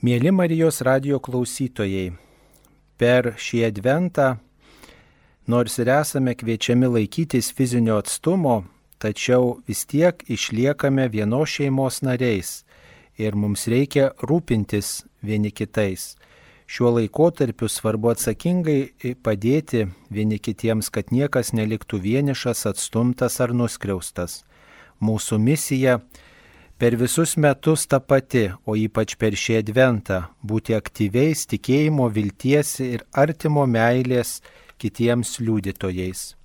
Mieli Marijos radijo klausytojai, per šį adventą, nors ir esame kviečiami laikytis fizinio atstumo, tačiau vis tiek išliekame vienos šeimos nariais ir mums reikia rūpintis vieni kitais. Šiuo laikotarpiu svarbu atsakingai padėti vieni kitiems, kad niekas neliktų vienišas, atstumtas ar nuskriaustas. Mūsų misija per visus metus ta pati, o ypač per šį adventą - būti aktyviais tikėjimo, vilties ir artimo meilės kitiems liudytojais.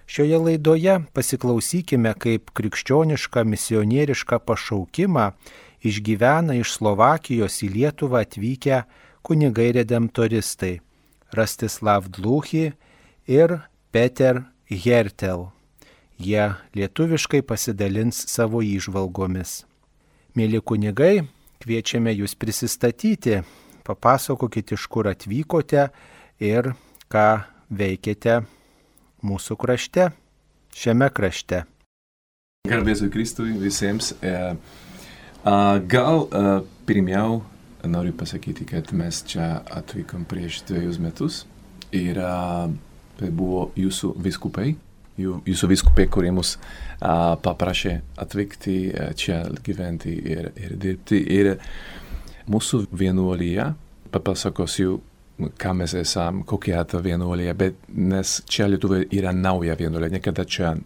Šioje laidoje pasiklausykime, kaip krikščionišką misionierišką pašaukimą išgyvena iš Slovakijos į Lietuvą atvykę kunigai redemptoristai Rastislav Dluchy ir Peter Hertel. Jie lietuviškai pasidalins savo įžvalgomis. Mėly kunigai, kviečiame jūs prisistatyti, papasakokite, iš kur atvykote ir ką veikėte mūsų krašte, šiame krašte. Garbėsiu Kristui visiems. Pirmiau noriu pasakyti, kad mes čia atvykom prieš 2 metus ir tai buvo jūsų vyskupai. Jūsų vyskupė, kurie mus paprašė atvykti čia gyventi ir dirbti. Ir mūsų vienuolija, papasakosiu, ką mes esam, kokia ta vienuolija, bet nes čia Lietuvoje yra nauja vienuolija, niekada čia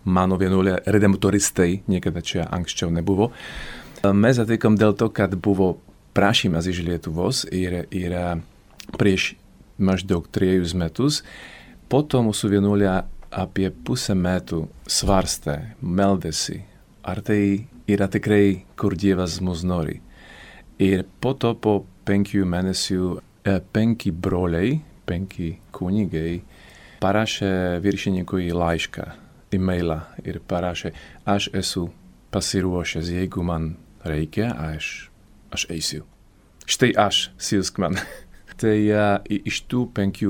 mano vienuolija redemptoristai, niekada čia anksčiau nebuvo. Mes atvykom dėl to, kad buvo prašymas iš Lietuvos ir prieš maždaug 3 metus. Po to mūsų vienuolija apie pusę metų svarstė, meldėsi, ar tai yra tikrai, kur Dievas mus nori. Ir po to po 5 mėnesių 5 broliai, 5 kunigai parašė viršininkui laišką, e-mailą ir parašė, aš esu pasiruošęs, jeigu man reikia, aš eisiu. Štai aš, siųsk man. Tai iš tų 5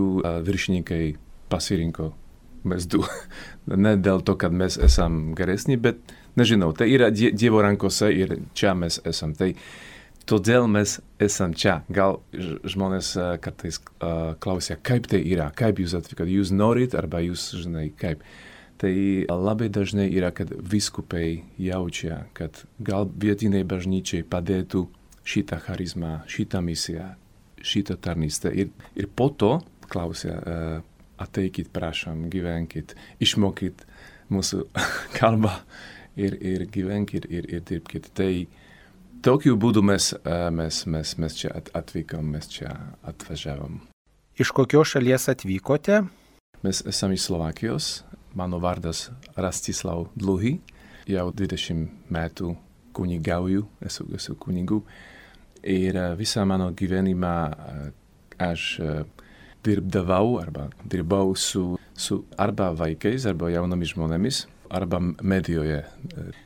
viršininkai pasirinko mes 2. Ne dėl to, kad mes esam geresni, bet nežinau, tai yra Dievo rankose ir čia mes esam. Tai todėl mes esam čia. Gal žmonės kartais klausia, kaip tai yra, kaip jūs atvykot, jūs norit arba jūs žinai kaip. Tai labai dažnai yra, kad vyskupai jaučia, kad gal vietiniai bažnyčiai padėtų šitą charizmą, šitą misiją, šitą tarnystę. Ir po to klausia, ateikit, prašom, gyvenkit, išmokit mūsų kalbą ir gyvenkit ir dirbkit. Tai tokiu būdu mes čia atvykom, mes čia atvažiavom. Iš kokios šalies atvykote? Mes esame iš Slovakijos. Mano vardas Rastislav Dluchy. Jau 20 metų kunigauju, esu kunigu. Ir visą mano gyvenimą aš dirbau su arba vaikais, arba jaunomis žmonėmis, arba medijoje.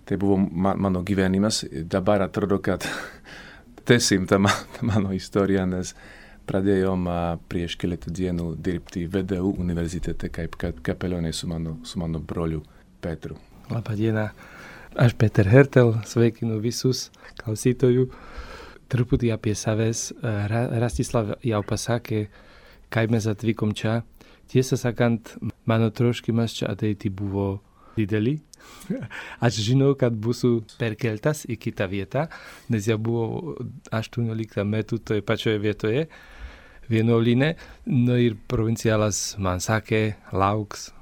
Tai buvo mano gyvenimas. Dabar atrodo, kad tęsim tą mano istoriją, nes pradėjom prieš keletą dienų dirbti VDU universitete kaip kapelionai su mano broliu Petru. Labą dieną. Aš Peter Hertel, sveikinu visus klausytojų. Truputį apie savęs. Rastislav jau pasakė, kaip mes atvykom čia. Tiesą sakant, mano troškimas čia ateiti buvo didelį. Aš žinau, kad būsiu perkeltas į kitą vietą, nes jau buvo 18 metų toje pačioje vietoje, vienuolyne. No ir provincialas man sakė, lauks,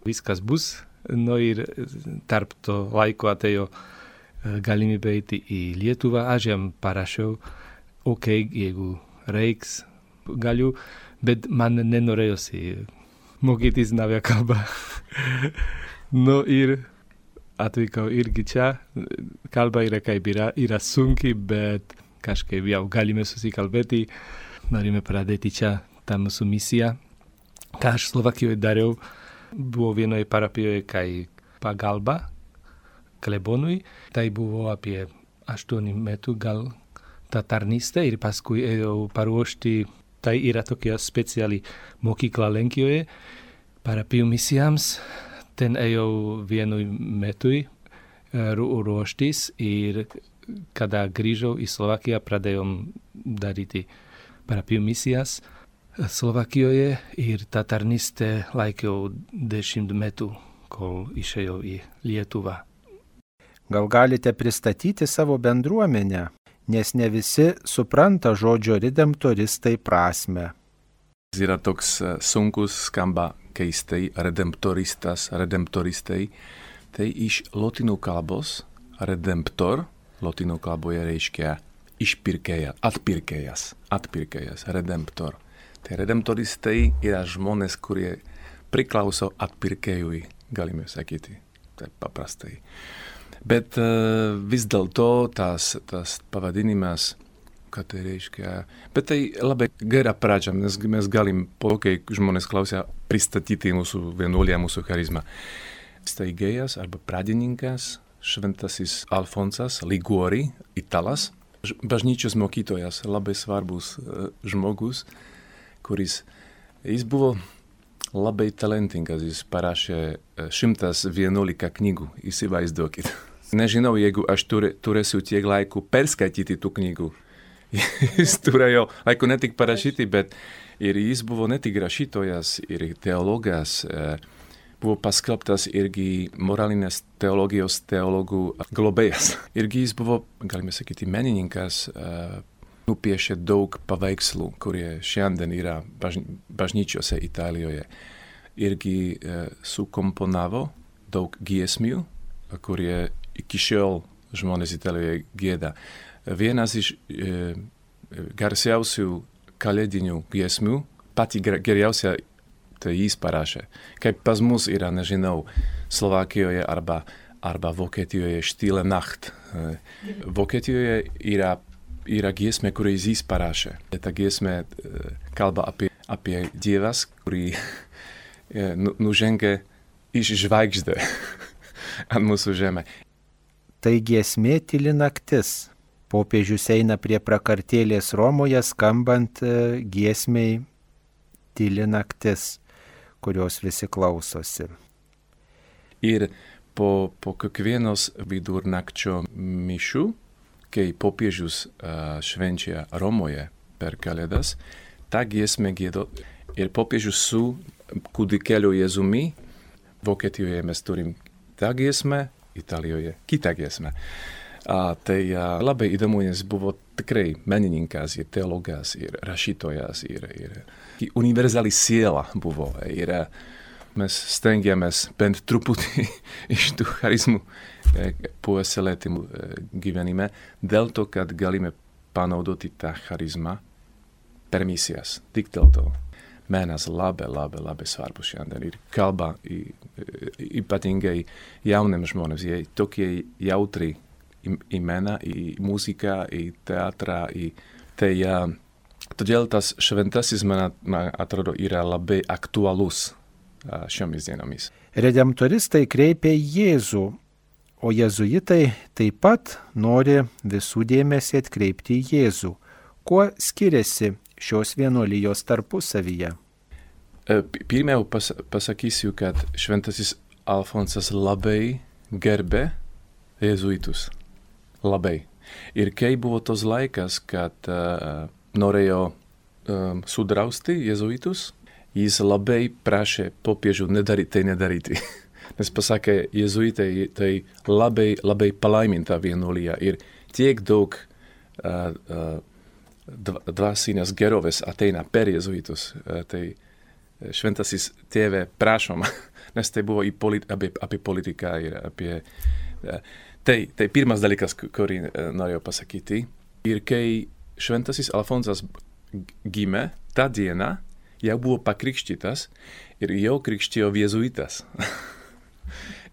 viskas bus. No ir tarp to laiko atėjo galimybė eiti į Lietuvą. Aš jam parašiau, jeigu reiks, galiu. Bet man nenorėjosi mokytis naują kalbą. No ir atvykau irgi čia. Kalba yra kaip yra sunki, bet kažkaip jau galime susikalbėti. Norime pradėti čia tą mūsų misiją. Ką aš Slovakijoje dariau, buvo vienoje parapijoje kaip pagalba klebonui. Tai buvo apie 8 metų gal ta tarnystė ir paskui ėjau paruošti. Tai yra tokia speciali mokykla Lenkijoje parapijų misijams. Ten ejau vienu metui ruoštis ir kada grįžau į Slovakiją, pradėjom daryti parapijų misijas Slovakijoje ir tą tarnystę laikiau 10 metų, kol išėjau į Lietuvą. Gal galite pristatyti savo bendruomenę, nes ne visi supranta žodžio redemptoristai prasme. Yra toks sunkus, skamba keistai, redemptoristai. Tai iš lotynų kalbos redemptor, lotynų kalboje reiškia išpirkėja, atpirkėjas, redemptor. Tai redemptoristai yra žmonės, kurie priklauso atpirkėjui, galime sakyti, taip paprastai. Bet vis dėlto tas pavadinimas, ką tai reiškia, bet tai labai gera pradžia, nes mes galim, kai žmonės klausia, pristatyti mūsų vienuolę, mūsų charizmą. Steigėjas arba pradininkas, šventasis Alfonsas Liguori, italas, bažnyčios mokytojas, labai svarbus žmogus, jis buvo labai talentingas, jis parašė 111 knygų, įsivaizduokit. Nežinau, jeigu aš turėsiu tiek laiku perskaityti tų knygų. Jis turėjo laiku ne tik parašyti, bet ir jis buvo ne tik rašytojas ir teologas, buvo paskelbtas irgi moralinės teologijos teologų globėjas. Irgi jis buvo, galime sakyti, menininkas, nupiešė daug paveikslų, kurie šiandien yra bažnyčiose Italijoje. Irgi sukomponavo daug giesmių, kurie iki šiol žmonės Italijoje gieda. Vienas iš garsiausių kalėdinių giesmių, pati geriausia, tai jis parašė. Kaip pas mus yra, nežinau, Slovakijoje arba Vokietijoje Stille Nacht. Vokietijoje yra giesmė, kurį jis parašė. Ta giesmė kalba apie Dievas, kurį nužengė iš žvaigždė ant mūsų žemę. Tai giesmė Tyli naktis. Popiežius eina prie prakartėlės Romoje skambant giesmei Tyli naktis, kurios visi klausosi. Ir po kiekvienos vidurnakčio mišių, kai popiežius švenčia Romoje per Kalėdas, tą giesmę giedo ir popiežius su kūdikėliu Jėzumi. Vokietijoje mes turim tą giesmę, Italijoje kitą giesmę. Tai labai įdomu, nes buvo tikrai menininkas ir teologas ir rašytojas ir universali siela buvo. Ir mes stengiamės bent truputį iš tų charizmų puoselėti gyvenime, dėl to, kad galime panaudoti tą charizmą per misijas. Tik dėl to. Menas labai svarbus šiandien ir kalba ypatingai jauniem žmonėms. Jie tokie jautri į meną, į muziką, į teatrą. Todėl tas šventasis, man atrodo, yra labai aktualus šiomis dienomis. Redemptoristai kreipia į Jėzų, o jėzuitai taip pat nori visų dėmesį atkreipti į Jėzų. Kuo skiriasi šios vienuolijos tarpusavyje? Pirmiau pasakysiu, kad šventasis Alfonsas labai gerbė jėzuitus. Labai. Ir kai buvo tos laikas, kad norėjo sudrausti jėzuitus, jis labai prašė popiežių nedaryti. Nes pasakė, jėzuitai tai labai palaiminta vienuolija ir tiek daug dvasinės gerovės ateina per jėzuitus. Tai šventasis tėve prašom, nes tai buvo apie politiką ir apie... Tai pirmas dalykas, kurį norėjau pasakyti. Ir kai šventasis Alfonsas gimė, tą dieną jau buvo pakrikštytas ir jau krikštijo jėzuitas.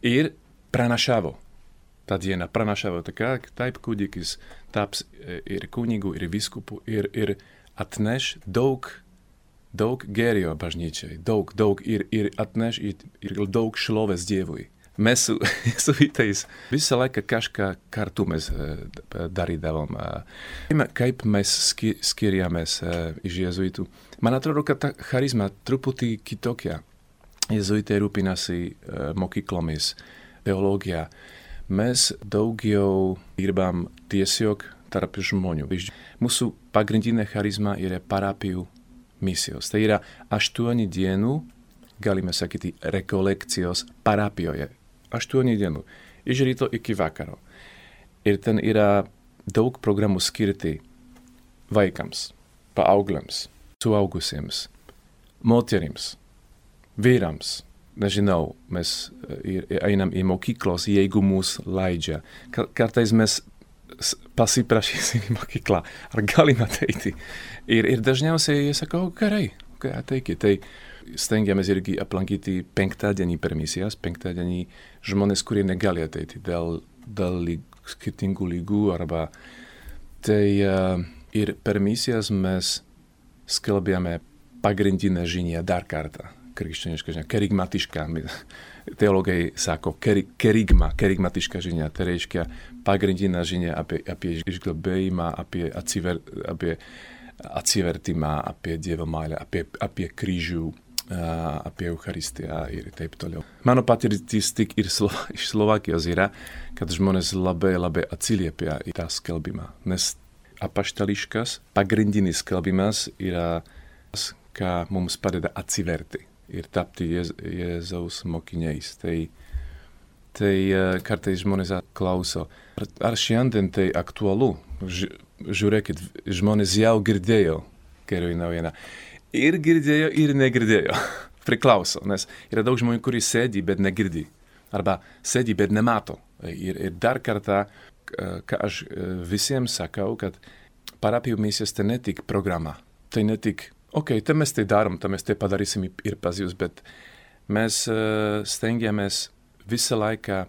Ir pranašavo. Tą dieną pranašavo, taip kūdikis taps ir kunigu, ir viskupu, ir atneš daug gėrio bažnyčiai, daug ir atneš ir daug šlovės Dievui. Mes su jėzuitais visą laiką kažką kartu mēs darīdavom. Kaip mēs skirjāmies iš jēzuitu? Man atrodo, ka tā charizma truputī kitokia. Jēzuiti rūpinasi mokyklomis, teologijā. Mēs daugiau gribam tiesiog tarp žmonių. Mūsų pagrindinė charizma yra parapijų misijos. Tai yra 8 dienų, galime sakyti, rekolekcijos parapijoje. 8 dienų. Iš ryto iki vakaro. Ir ten yra daug programų skirti vaikams, paaugliams, suaugusiems, moterims, vyrams. Nežinau, mes einam į mokyklos, jeigu mūs leidžia. Kartais mes pasiprašysim į mokyklą, ar galim ateiti. Ir dažniausiai jie sako, gerai, ateikit. Tai stengiamės irgi aplankyti 5-dienį per misijas, 5-dienį žmonės, kurie negali ateiti dėl skirtingų lygų arba. Tai ir per misijas mes skelbėme pagrindinę žinią dar kartą. Krikščioniška žinia, kerigmatiška. Teologai sako kerigmatiška žinia. Tai reiškia pagrindinę žinią apie išgelbėjimą, apie atsivertimą, apie Dievo meilę, apie kryžių, apie Eucharistiją ir taip toliau. Mano patirtis tik ir iš Slovakijos yra, kad žmonės labai atsiliepia į tą skelbimą. Nes apaštališkas, pagrindinis skelbimas yra tas, ką mums padeda atsiverti ir tapti Jėzaus mokiniais. Tai kartais žmonės klauso, ar šiandien tai aktualu? Žiūrėkit, žmonės jau girdėjo geroji naujiena. Ir girdėjo, ir negirdėjo. Priklauso, nes yra daug žmonių, kurie sėdi, bet negirdi. Arba sėdi, bet nemato. Ir dar kartą, ką aš visiems sakau, kad parapijų misijos tai ne tik programa. Tai ne tik tai mes tai darom, tai mes tai padarysim ir pas jūs, bet mes stengiamės visą laiką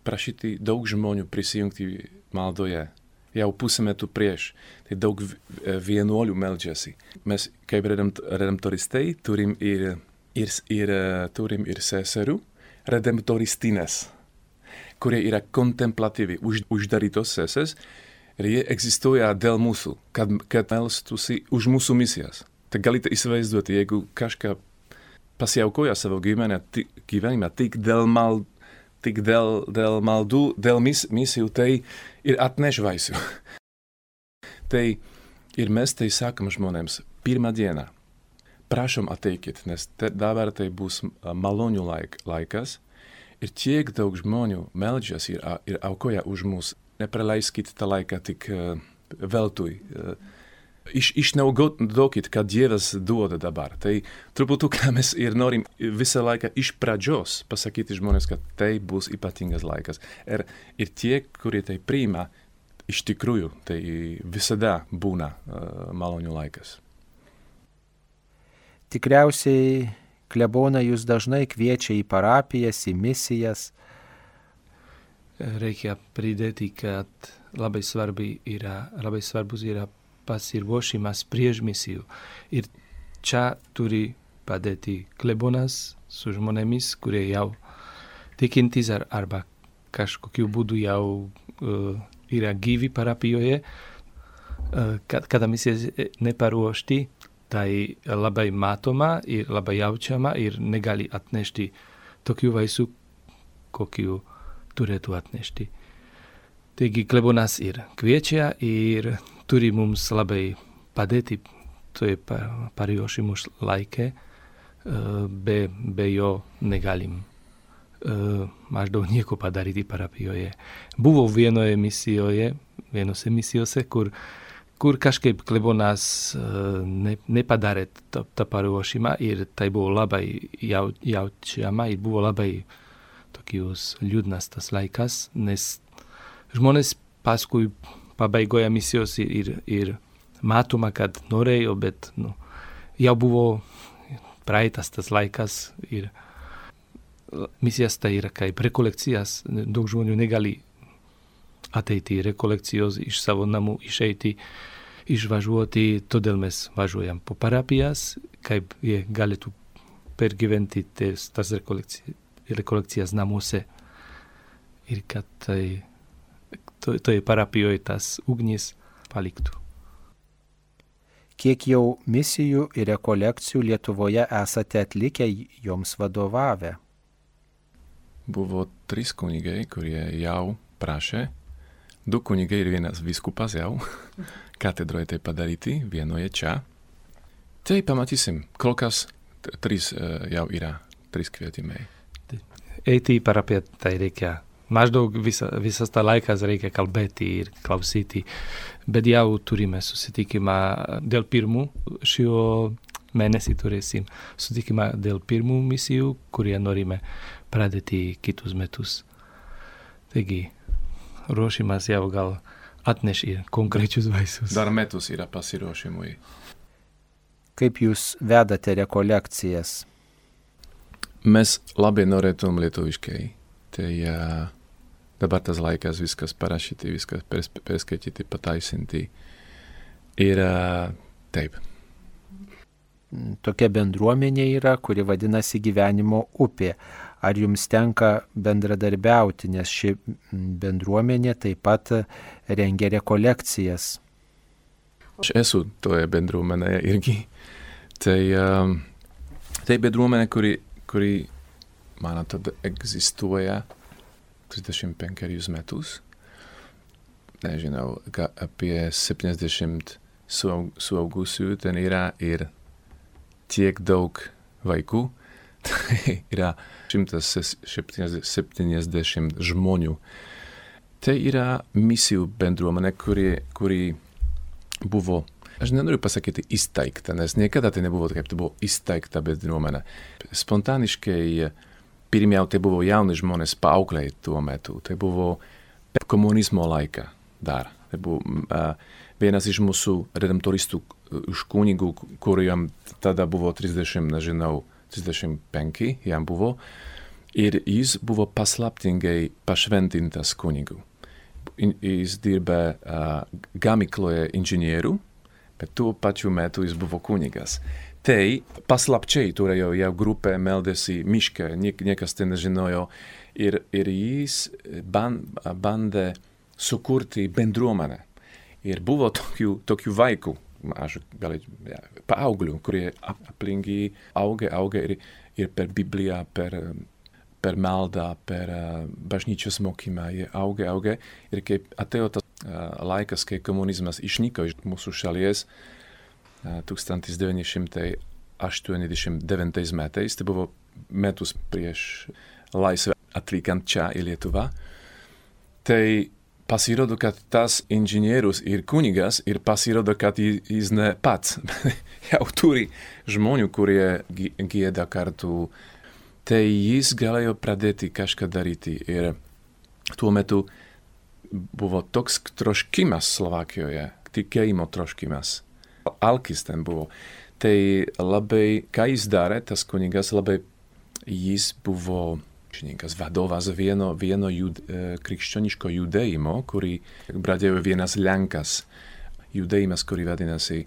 prašyti daug žmonių prisijungti maldoje. Jau pusę metų prieš, tai daug vienuolių meldžiasi. Mes kaip redemptoristai turim ir seserų redemptoristines, kurie yra kontemplatyvi, uždarytos seses. Ir jie egzistuoja dėl mūsų, kad melstusi už mūsų misijas. Tai galite įsivaizduoti, jeigu kažką pasiaukoja savo gyvenimą tik dėl maldų, dėl misijų, tai ir atneš vaisių. Tai ir mes tai sakom žmonėms, 1 dieną, prašom ateikit, nes dabar tai bus malonių laikas ir tiek daug žmonių meldžias ir aukoja už mus. Nepraleiskit tą laiką tik veltui. Išnaudokit, ką Dievas duoda dabar. Tai truputuką mes ir norim visą laiką iš pradžios pasakyti žmonės, kad tai bus ypatingas laikas. Ir tie, kurie tai priima, iš tikrųjų, tai visada būna malonių laikas. Tikriausiai klebona jūs dažnai kviečia į parapijas, į misijas. Reikia pridėti, kad labai svarbus yra pasiruošimas prieš misiju. Ir čia turi padėti klebonas su žmonėmis, kurie jau tikintys arba kažkokiu būdu jau yra gyvi parapijoje. Kada misija neparuošti, tai labai matoma ir labai jaučiama ir negali atnešti tokiu vaisiu, kokiu turėtų atnešti. Taigi klebonas ir kviečia ir turi mums labai padėti toje paruošimo laike, be jo negalim maždaug nieko padaryti parapijoje. Buvo vienose misijose, kur kažkaip klebonas nepadarė tą paruošimą ir tai buvo labai jaučiama ir buvo labai tokius liūdnas tas laikas, nes žmonės paskui pabaigoje misijos ir matoma, kad norėjo, bet jau buvo praeitas tas laikas ir misijas tai yra kaip rekolekcijas. Daug žmonių negali ateiti rekolekcijos iš savo namų, išeiti, išvažiuoti, todėl mes važiuojam po parapijas, kaip jie galėtų pergyventi tas rekolekcijas namuose. Ir kad toje parapijoje tas ugnis paliktų. Kiek jau misijų ir rekolekcijų Lietuvoje esate atlikę, joms vadovavę? Buvo 3 kunigai, kurie jau prašė Du kunigai ir vienas vyskupas jau. Katedroje tai padaryti, vienoje čia. Tai pamatysim, kol kas 3 jau yra, 3 kvietimai. Eiti parapiettai reikia. Maždaug visas tą laikas reikia kalbėti ir klausyti. Bet jau turime susitikimą dėl pirmų šio mėnesį turėsim susitikimą dėl pirmų misijų, kurie norime pradėti kitus metus. Taigi, ruošimas jau gal atneš ir konkrečius vaisius. Dar metus yra pasiruošimui. Kaip jūs vedate rekolekcijas? Mes labai norėtum lietuviškai. Tai dabar tas laikas viskas parašyti, viskas perskaityti, pataisinti. Ir taip. Tokia bendruomenė yra, kuri vadinasi Gyvenimo upė. Ar jums tenka bendradarbiauti, nes ši bendruomenė taip pat rengia rekolekcijas? Aš esu toje bendruomenėje irgi. Tai bendruomenė, kuri man atrodo egzistuoja 35 metus. Nežinau, apie 70 suaugusių ten yra ir tiek daug vaikų. Tai yra 170 žmonių. Tai yra misijų bendruomenė, kuri buvo, aš nenoriu pasakyti įsteigta, nes niekada tai nebuvo kaip tai buvo įsteigta bendruomenė. Spontaniškai pirmiau tai buvo jauni žmonės paaugliai tuo metu. Tai buvo per komunizmo laiką dar. Tai buvo vienas iš mūsų redemptoristų iš kunigų, kuriem tada buvo 35 jam buvo. Ir jis buvo paslaptingai pašventintas kunigų. Jis dirba gamykloje inžinierių, bet tuo pačiu metu jis buvo kunigas. Tai paslapčiai turėjo jau grupę, meldėsi miške, niekas ten nežinojo. Ir jis bandė sukurti bendruomenę. Ir buvo tokių vaikų, paauglių, kurie aplink auga ir per Bibliją, per maldą, per bažnyčios mokymą, jie auga. Ir kai atėjo tas laikas, kai komunizmas išnyko iš mūsų šalies 1989 metais, tai buvo metus prieš laisvę atvykant čia į Lietuvą, tai pasirodo, kad tas inžinierius ir kunigas, ir pasirodo, kad jis ne pats jau turi žmonių, kurie gieda kartu. Tai jis galėjo pradėti kažką daryti. Ir tuo metu buvo toks troškimas Slovakijoje, tikėjimo troškimas. Alkis ten buvo. Tai labai, ką jis darė, tas kunigas, labai jis buvo vadovas vieno krikščioniško judėjimo, kurį pradėjo vienas Lenkas. Judėjimas, kurį vadinasi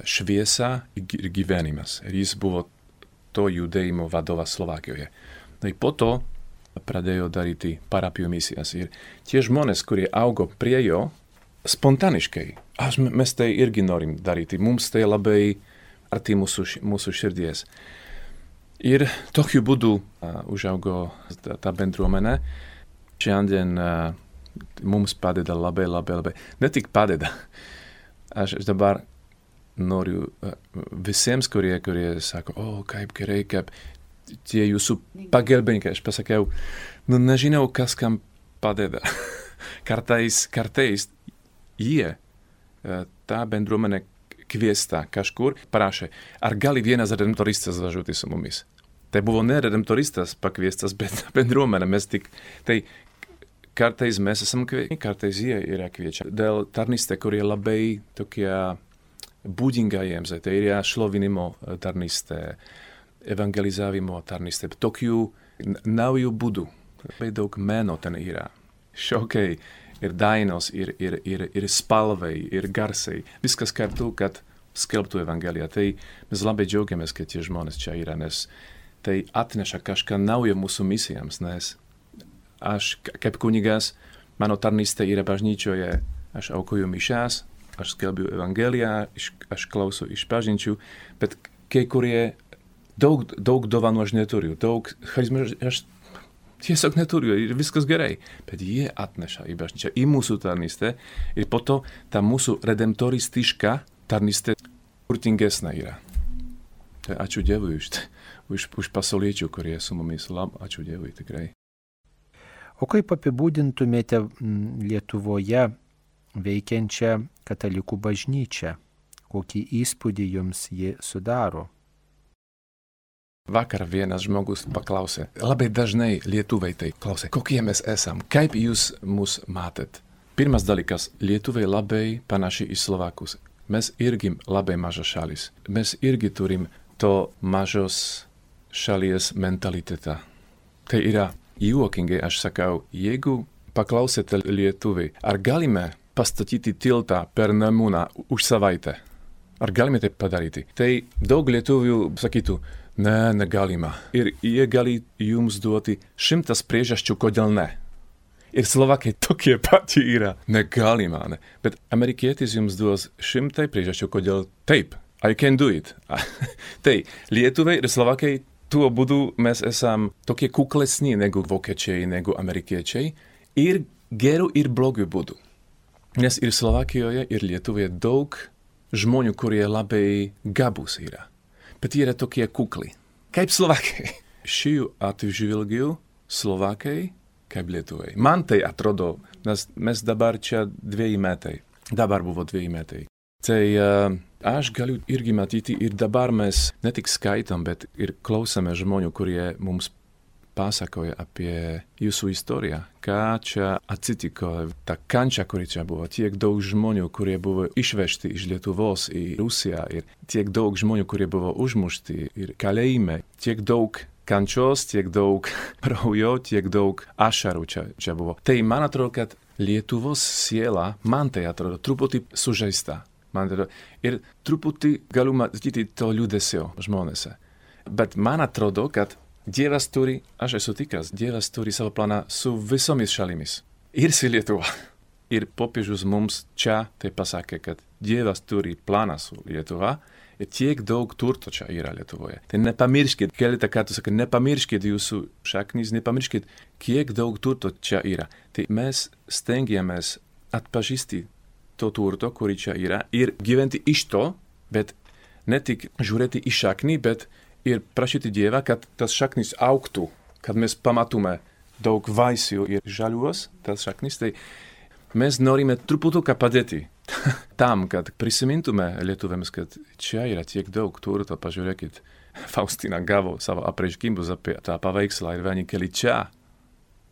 šviesa ir gyvenimas. Ir jis buvo to judėjimo vadovas Slovakijoje. Tai po to pradėjo daryti parapijų misijas. Ir tie žmonės, kurie augo prie jo, spontaniškai, mes tai irgi norim daryti. Mums tai labai arti mūsų širdies. Ir tokiu būdu užaugo ta bendruomenė. Šiandien mums padeda labai. Ne tik padeda. Aš dabar noriu visiems, kurie sako, kaip gerai, kaip tie jūsų pagelbininkai. Aš pasakiau, nežinau, kas kam padeda. Kartais jie, ta bendruomenė kviesta kažkur, parašė, ar gali vienas redemptoristas važiuoti su mumis. Tai buvo ne redemptoristas pakviestas, bet bendruomenė. Tai kartais mes esam kviečiami, kartais jie yra kviečiami. Dėl tarnystė, kurie labai tokie būdinga jiems, tai yra šlovinimo tarnystė, evangelizavimo tarnystė. Tokių naujų būdų. Labai daug meno ten yra. Šokai. Ir dainos, ir spalvai, ir garsai. Viskas kartu, kad skelbtų evangeliją. Tai mes labai džiaugiamės, kad tie žmonės čia yra, nes tai atneša kažką naujo mūsų misijams, nes aš kaip kunigas, mano tarnystė yra bažnyčioje, aš aukoju mišas, aš skelbiu evangeliją, aš klausau iš bažnyčių, bet kai kurie daug dovanų aš neturiu, daug charizmų, aš Tiesiog neturiu, ir viskas gerai. Bet jie atneša į bažnyčią, į mūsų tarnystę. Ir po to ta mūsų redemptoristiška tarnystė turtingesnė yra. Tai ačiū Dievui už pasauliečių, kurie su mumis. Ačiū Dievui tikrai. O kaip apibūdintumėte Lietuvoje veikiančią katalikų bažnyčią? Kokį įspūdį jums ji sudaro? Vakar vienas žmogus paklausė, labai dažnai lietuviai tai klausė, kokie mes esam, kaip jūs mus matėt. Pirmas dalykas, lietuviai labai panaši į Slovakus. Mes irgi labai maža šalis. Mes irgi turim to mažos šalies mentalitetą. Tai yra juokingai, aš sakau, jeigu paklausėte lietuviai, ar galime pastatyti tiltą per Nemuną už savaitę? Ar galime tai padaryti? Tai daug lietuvių sakytų, ne, negalima. Ir jie gali jums duoti 100 priežasčių, kodėl ne. Ir Slovakai tokie pati yra. Negalima, ne. Bet amerikietis jums duos 100 priežasčių, kodėl taip. I can do it. Tai lietuviai ir Slovakai tuo būdu mes esam tokie kuklesni negu vokiečiai, negu amerikiečiai. Ir geru ir blogu būdu. Nes ir Slovakijoje, ir Lietuvoje daug žmonių, kurie labai gabūs yra. Bet jie yra tokie kukli. Kaip Slovakai. Šių atžvilgių Slovakai kaip Lietuvai. Man tai atrodo, nes mes dabar čia 2 metai. Dabar buvo 2 metai. Tai aš galiu irgi matyti ir dabar mes ne tik skaitam, bet ir klausome žmonių, kurie mums pasakoja apie jūsų istoriją. Ką čia atsitiko, ta kančia, kuri čia buvo. Tiek daug žmonių, kurie buvo išvežti iš Lietuvos į Rusiją. Ir tiek daug žmonių, kurie buvo užmušti ir kalėjime. Tiek daug kančios, tiek daug kraujo, tiek daug ašarų čia buvo. Tai man atrodo, kad Lietuvos siela, man tai atrodo, truputį sužeista. Ir truputį galiu matyti to liūdesio žmonėse. Bet man atrodo, kad Dievas turi, aš esu tikras, Dievas turi savo planą su visomis šalimis. Ir su Lietuva. Ir popiežius mums čia tai pasakė, kad Dievas turi planą su Lietuva ir tiek daug turto čia yra Lietuvoje. Tai nepamirškit, keletą kartų sakė, nepamirškit jūsų šaknis, nepamirškit, kiek daug turto čia yra. Tai mes stengiamės atpažįsti to turto, kurį čia yra, ir gyventi iš to, bet ne tik žiūrėti į šaknį, bet ir prašyti Dievą, kad tas šaknis augtų, kad mes pamatume daug vaisių ir žaliuos, tas šaknis, tai mes norime truputuką padėti tam, kad prisimintume lietuviams, kad čia yra tiek daug turto, pažiūrėkit, Faustina gavo savo apreiškimus apie tą paveikslą ir vieni keli čia.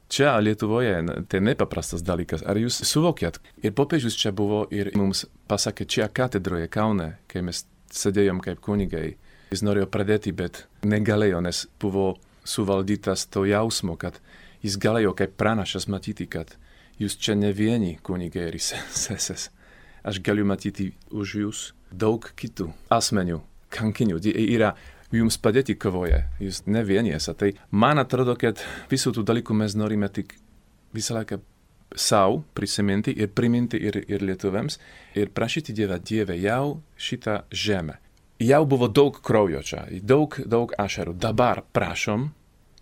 Čia Lietuvoje tai nepaprastas dalykas. Ar jūs suvokėt? Ir popiežius čia buvo ir mums pasakė čia katedroje Kaune, kai mes sėdėjom kaip kunigai. Jis norėjo pradėti, bet negalėjo, nes buvo suvaldytas to jausmo, kad jis galėjo kaip pranašas matyti, kad jūs čia ne vieni kunigai ir seses. Aš galiu matyti už jūs daug kitų asmenių, kankinių. Yra jums padėti kovoje, jūs ne vieni esate. Tai man atrodo, kad visų tų dalykų mes norime tik visą laiką sau prisiminti ir priminti ir lietuviams ir prašyti Dievę jau šitą žemę. Jau buvo daug kraujo čia, daug ašarų. Dabar prašom,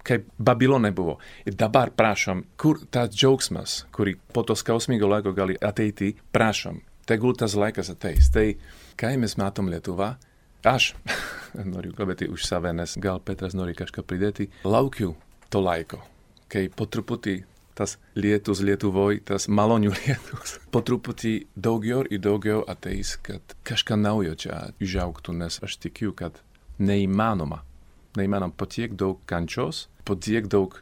kaip Babilone buvo. Ir dabar prašom, kur tas džiaugsmas, kurį po to skausmingo laiko gali ateiti, prašom. Tegul tas laikas ateis. Tai, kai mes matom Lietuvą, aš noriu kalbėti už save, nes gal Petras nori kažką pridėti. Laukiu to laiko, kai po truputį tas lietus Lietuvoj, tas malonių lietus. Po truputį daugiau ateis, kad kažką naujo čia užaugtų, nes aš tikiu, kad neįmanoma po tiek daug kančios, po tiek daug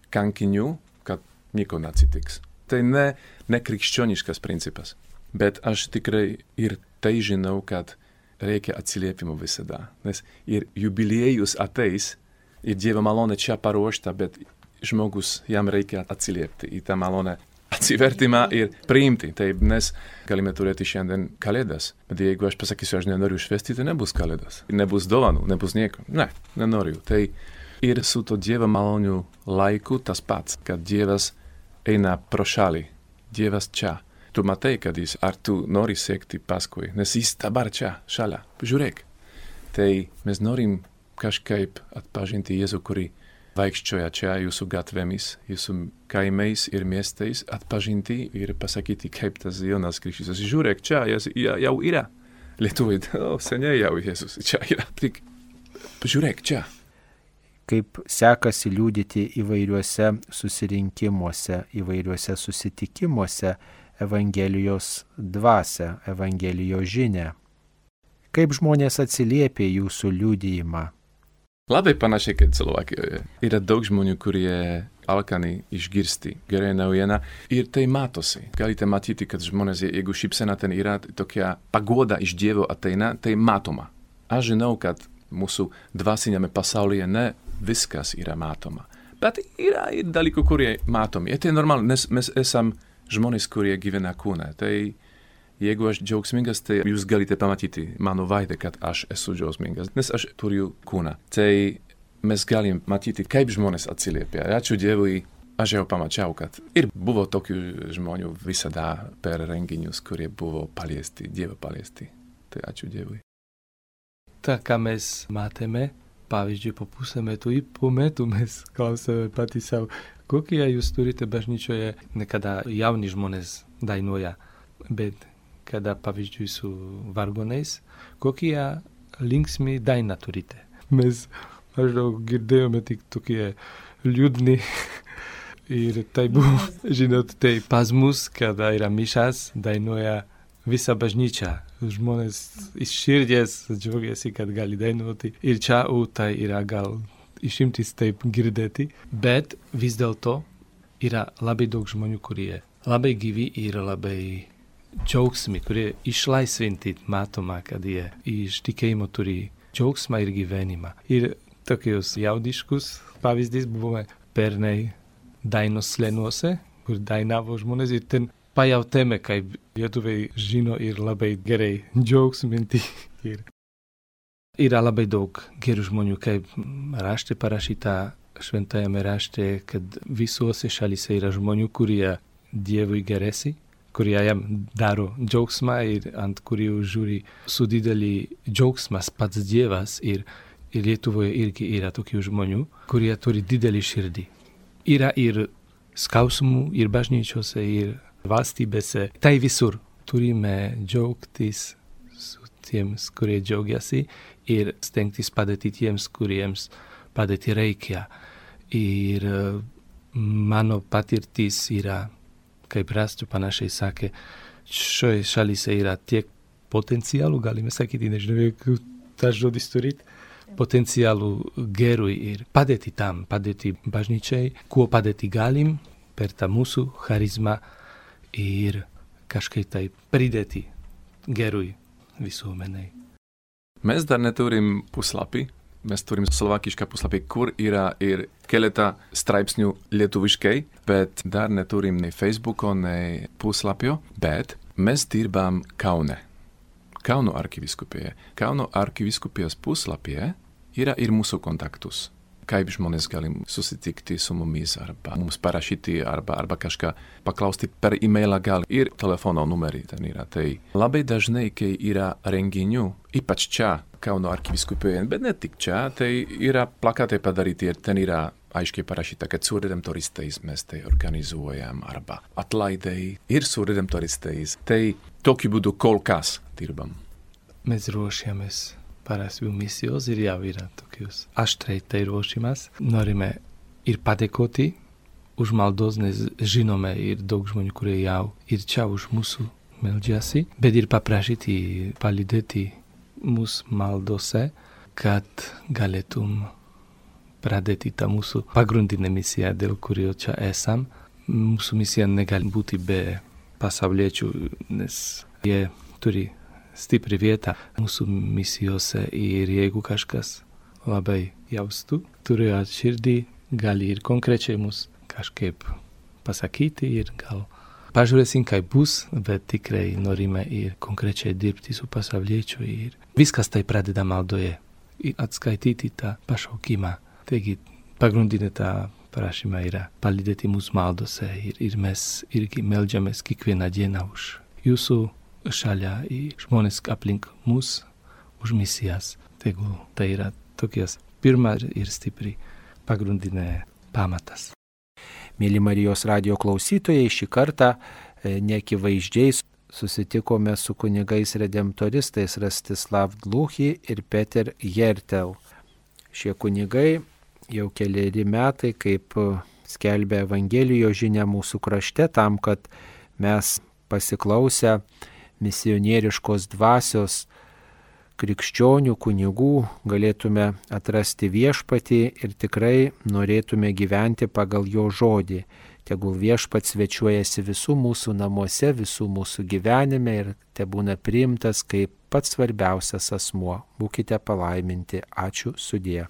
kankinių, kad nieko neatsitiks. Tai ne krikščioniškas principas, bet aš tikrai ir tai žinau, kad reikia atsiliepimo visada, nes ir jubiliejus ateis, ir Dievo malonė čia paruošta, bet žmogus jam reikia atsiliepti į tą malonę atsivertimą ir priimti. Taip, nes galime turėti šiandien kalėdas, bet jeigu aš pasakysiu, aš nenoriu švęsti, tai nebus kalėdas. Nebus dovanų, nebus nieko. Ne, nenoriu. Tai ir su to Dievo malonių laiku tas pats, kad Dievas eina pro šalį. Dievas čia. Tu matai, kad jis, ar tu nori sekti paskui, nes jis dabar čia, šalia. Žiūrėk. Tai mes norim kažkaip atpažinti Jėzų, kurį vaikščioja čia jūsų gatvėmis, jūsų kaimais ir miestais, atpažinti ir pasakyti, kaip tas Jonas Krikštytojas. Žiūrėk, čia jau yra. Lietuvai, seniai jau Jėzus čia yra. Tik žiūrėk, čia. Kaip sekasi liudyti įvairiuose susirinkimuose, įvairiuose susitikimuose Evangelijos dvasią, Evangelijos žinią. Kaip žmonės atsiliepia jūsų liudijimą? Labai panašiai kaip Slovakijoje. Yra daug žmonių, kurie alkani išgirsti gerąją naujieną ir tai matosi. Galite matyti, kad žmonės, jeigu šypsena ten yra tokia pagoda iš Dievo ateina, tai matoma. Aš žinau, kad mūsų dvasinėme pasaulyje ne viskas yra matoma. Bet yra ir dalykų, kurie matomi. Ir tai normalu, nes mes esam žmonės, kurie gyvena kūne. Tai jeigu aš džiaugsmingas, tai jūs galite pamatyti mano veidą, kad aš esu džiaugsmingas, nes aš turiu kūną. Tai mes galim matyti, kaip žmonės atsiliepia. Ačiū Dievui, aš jau pamačiau, kad ir buvo tokių žmonių visada per renginius, kurie buvo paliesti, Dievo paliesti. Tai ačiū Dievui. Tā kā mēs matėme, pavyzdžiui, po pusę metų ir po metų mes klausėme patį savo, kokie jūs turite bažnyčioje, nekada jauni žmonės dainuoja, bet kada, pavyzdžiui, su vargonais, kokie linksmi daina turite. Mes maždaug girdėjome tik tokie liūdni ir tai buvo, žinot, tai pas mus, kada yra mišas, dainuoja visa bažnyčia. Žmonės iš širdies džiaugiasi, kad gali dainuoti. Ir čia tai yra gal išimtis taip girdėti, bet vis dėlto yra labai daug žmonių, kurie labai gyvi ir labai džiaugsmi, kurie išlaisvinti matoma, kad jie iš tikėjimo turi džiaugsmą ir gyvenimą. Ir tokius jaudiškus pavyzdys buvome pernai Dainos slėniuose, kur dainavo žmonės ir ten pajautėme, kaip lietuviai žino ir labai gerai džiaugsminti. Yra labai daug gerų žmonių, kaip rašte parašyta šventajame rašte, kad visuose šalyse yra žmonių, kurie Dievui gerėsi, kurie jam daro džiaugsmą ir ant kurių žiūri su didelį džiaugsmas pats Dievas ir Lietuvoje irgi yra tokių žmonių, kurie turi didelį širdį. Yra ir skausmų, ir bažnyčiose, ir valstybėse. Tai visur turime džiaugtis su tiems, kurie džiaugiasi ir stengtis padėti tiems, kuriems padėti reikia. Ir mano patirtis yra, kaip rastu panašiai sakė, šioje šalyse yra tiek potencialų, galime sakyti, nežinau, jeigu tas žodis turit, potenciālu gerui ir padėti tam, padėti bažnyčiai, ko padėti galim per tā mūsu charizma ir kažkaip tai pridėti gerui visuomenei. Mēs dar neturim puslapi. Mēs turim slovākiškā puslapī, kur ir keletā straipsņu lietuviškai, bet dar neturim ne Facebooko, ne puslapio, bet mēs dirbam Kaune. Kauno arkiviskupijā. Kauno arkiviskupijas puslapie ir mūsu kontaktus. Kaip žmonės galim susitikti su mumis, arba mums parašyti, arba kažką paklausti per e-mailą gal ir telefono numerį ten yra. Tai labai dažnai, kai yra renginių, ypač čia, Kauno arkiviskupijoje, bet ne tik čia, tai yra plakatai padaryti ir ten yra aiškiai parašyta, kad su redemptoristais mes tai organizuojam, arba atlaidai ir su redemptoristais. Tai tokiu būdu kol kas dirbam. Mēs ruošiamies parasti misijos ir jau yra tokius aštrai tai ruošimas. Norime ir padėkoti už maldos, nes žinome ir daug žmonių, kurie jau ir čia už mūsų meldžiasi, bet ir paprašyti, palydėti mūsu maldose, kad galėtum pradėti tą mūsų pagrindinę misiją, dėl kurio čia esam. Mūsų misija negali būti be pasauliečių, nes jie turi stipri vietą mūsų misijose ir jeigu kažkas labai jaustų, turėjo širdį, gali ir konkrečiai mus kažkaip pasakyti ir gal pažiūrėsim, kaip bus, bet tikrai norime ir konkrečiai dirbti su pasauliečiu ir viskas tai pradeda maldoje ir atskaityti tą pašaukimą. Taigi pagrindinė tā prašymā yra palydėti mūsu maldose ir mes irgi meldžiamės kiekvieną dieną už jūsų šalia ir žmonės aplink mus už misijas. Tegu tai yra tokias pirma ir stipri pagrindinė pamatas. Mėly Marijos radijo klausytojai, šį kartą neakivaizdžiai susitikome su kunigais redemptoristais Rastislav Dluchy ir Peter Hertel. Šie kunigai jau keleri metai, kaip skelbia Evangelijos žinia mūsų krašte, tam, kad mes pasiklausę misionieriškos dvasios krikščionių kunigų galėtume atrasti viešpatį ir tikrai norėtume gyventi pagal jo žodį. Tegul viešpats svečiuojasi visų mūsų namuose, visų mūsų gyvenime ir tebūna priimtas kaip pats svarbiausias asmuo. Būkite palaiminti. Ačiū, sudie.